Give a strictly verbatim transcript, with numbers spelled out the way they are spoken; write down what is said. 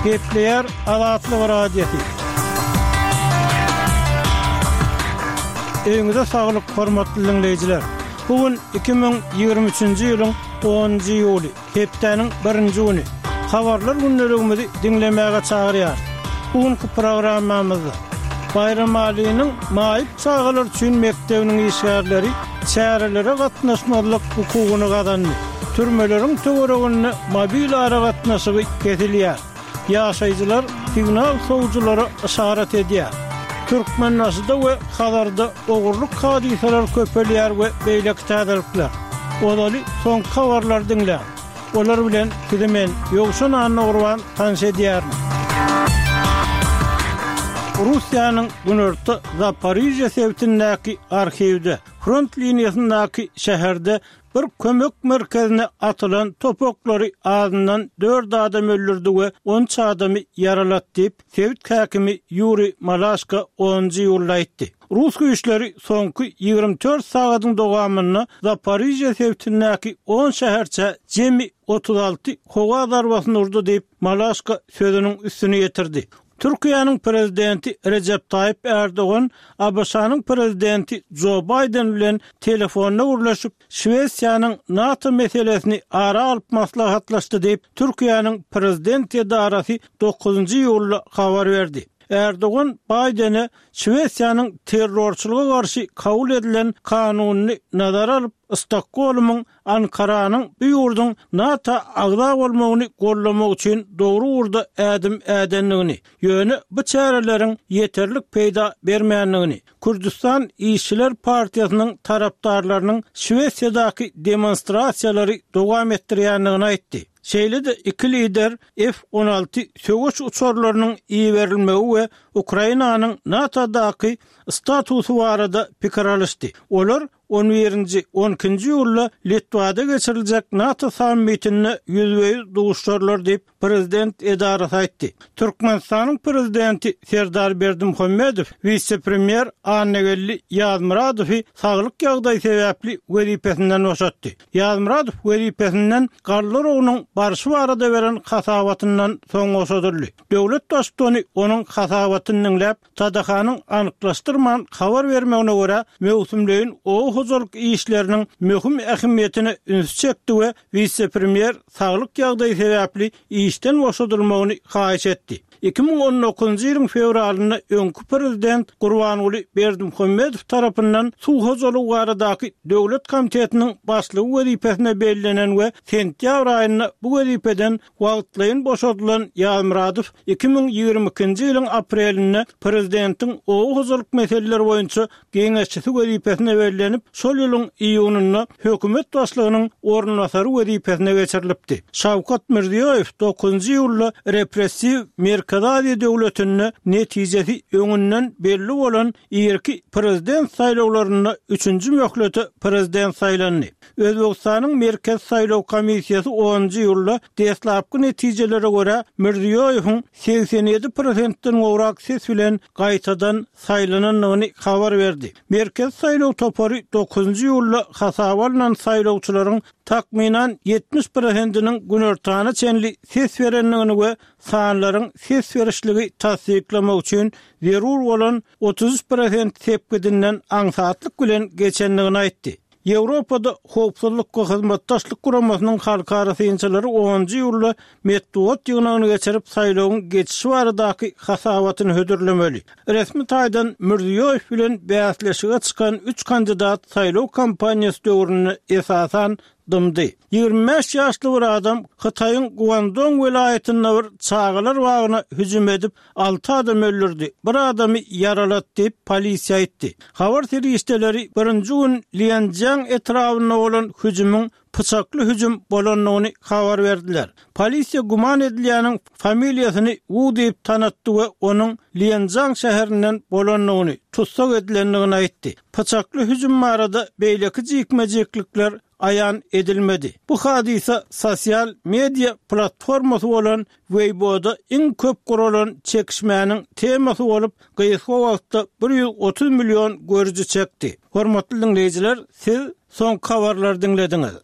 Gepleýär Azatlyk Radiosy. Öýüňize saglyk, hormatly diňleýjiler. Bu gün iki müň ýigrimi üçünji ýylyň onunjy iýuly, hepdäniň birinji güni. Habarlar gündeligimizi diňlemäge çagyrýarys. Bu günki programmamyzda Baýramalynyň maýyp çagalar üçin mekdebiniň işgärleri çärelere gatnaşmazlyk hukugyny gazandy. Türmeleriň töwereginde mobil aragatnaşygy kesilýär. Ýaşaýjylar signal sowujylara yşarat edýär. Türkmenbaşyda we Hazarda ogurlyk hadysalary köpelýär we beýleki täzelikler. Ozaly soňky habarlary diňläň. Olar bilen sizi men, Ýowşan Annagurban tanyş edýärin. Russiýanyň günorta Zaporižýa sebitindäki arhiwde, front liniýasyndaky şäherde bir kömek merkezine atylan top oklary azyndan dört adam öldürdi we on üç adamy ýaralady diýip, sebit häkimi Ýuriý Malaşko onunjy iýulda aýtdy. Rus güýçleri soňky ýigrimi dört sagadyň dowamynda Zaporižýa sebitindäki on şäherçä jemi otuz alty howa zarbasyny urdy diýip, Malaşko sözüniň üstüni ýetirdi. Türkiýäniň prezidenti Rejep Taýyp Ärdogan ABŞ-nyň prezidenti Jo Baýden bilen telefonda gürleşip, Şwesiýanyň NATO meselesini ara alyp maslahatlaşdy diýip, Türkiýäniň prezident edarasy dokuzynjy iýulda habar berdi. Ärdogan Baýdene Şwesiýanyň terrorçylyga garşy kabul edilen kanunyny nazara alyp, Stokgolmyň Ankaranyň bu ýurduň NATO agza bolmagyny goldamak üçin dogry ugurda ädim ädendigini, ýöne bu çäreleriň ýeterlik peýda bermändigini, Kürdüstan işçiler partiýasynyň tarapdarlarynyň Şwesiýadaky demonstrasiýalary dowam etdirýändigini aýtdy. Şeýle-de iki lider F on alty söweş uçarlarynyň iberilmegi we Ukrainanyň NATO-daky statusy barada pikir alyşdy. Olar on birinji, on ikinji iýulda Litwada geçiriljek NATO sammitinde ýüzbe-ýüz duşarlar diýip, prezident edarasy aýtdy. Türkmenistanyň prezidenti Serdar Berdimuhamedow wise-premýer Annageldi Ýazmyradowy saglyk ýagdaýy sebäpli wezipesinden boşatdy. Ýazmyradow wezipesinden galla oragynyň barşy barada beren hasabatyndan soň boşadyldy. Döwlet Baştutany onuň hasabatyny diňläp, T D H-nyň anyklaşdyrman habar bermegine görä, möwsümleýin oba hojalyk işleriniň möhüm ähmiýetine ünsi çekdi we wise-premýer saglyk ýagdaýy sebäpli işden boşadylmagyny haýyş etdi. Iki müň on dokuzynjy ýylyň fewralynda öňki prezident Gurbanguly Berdimuhamedow tarapyndan suw hojalygy baradaky döwlet komitetiniň başlygy wezipesine bellenen we sentýabr aýynda bu wezipeden wagtlaýyn boşadylan Ýazmyradow iki müň ýigrimi ikinji ýylyň aprelinde prezidentiň oba hojalyk meseleleri boýunça geňeşçisi wezipesine bellenip, şol ýylyň iýunynda hökümet başlygynyň orunbasary wezipesine geçirilipdi. Şawkat Mirziýoýew dokuzynjy iýulda repressiw Merkezi Aziýa döwletinde netijesi öňünden belli bolan irki prezident saýlawlarynda üçünji möhlete prezident saýlandy. Özbegistanyň Merkezi saýlaw komissiýasy onunjy iýulda deslapky netijelere görä Mirziýoýewiň segsen ýedi prosentden gowrak ses bilen gaýtadan saýlanandygyny habar berdi. Merkezi saýlaw topary dokuzynjy iýulda hasaba alnan saýlawçylaryň takmynan ýetmiş prosentiniň günortana çenli ses berendigini we sanlaryň ses berişligi tassyklamak üçin zerur bolan otuz üç prosent sepgidinden aňsatlyk bilen geçendigini aýtdy. Ýewropada Howpsuzlyk we Hyzmatdaşlyk Guramasynyň halkara synçylary onunjy iýulda metbugat ýygnagyny geçirip, saýlawyň geçişi baradaky hasabatyny hödürlemeli. Resmi taýdan Mirziýoýew bilen bäsleşige çykan üç kandidat saýlaw kampaniýasy döwründe esasan dymdy. Ýigrimi bäş ýaşly bir adam Hytaýyň Guangdong welaýatynda bir çagalar bagyna hüjüm edip, alty adam öldürdi, bir adamy ýaralady diýip, polisiýa aýtdy. Habar serişdeleri birinji gün Lianjiang etrabynda bolan hüjümiň pyçakly hüjüm bolandygyny habar berdiler. Polisiýa güman edilýäniň familiýasyny Wu diýip tanatdy we onuň Lianjiang şäherinden bolandygyny, tussag edilendigini aýtdy. Pyçakly hüjüm barada beýleki jikme-jiklikler aýan edilmedi. Bu hadysa sosial media platformasy bolan Weibo'da iň köp guralan çekişmäniň temasy bolup, gysga wagtda bir ýüz otuz million görüji çekdi. Hormatly diňleýjiler, siz soňky habarlary diňlediňiz.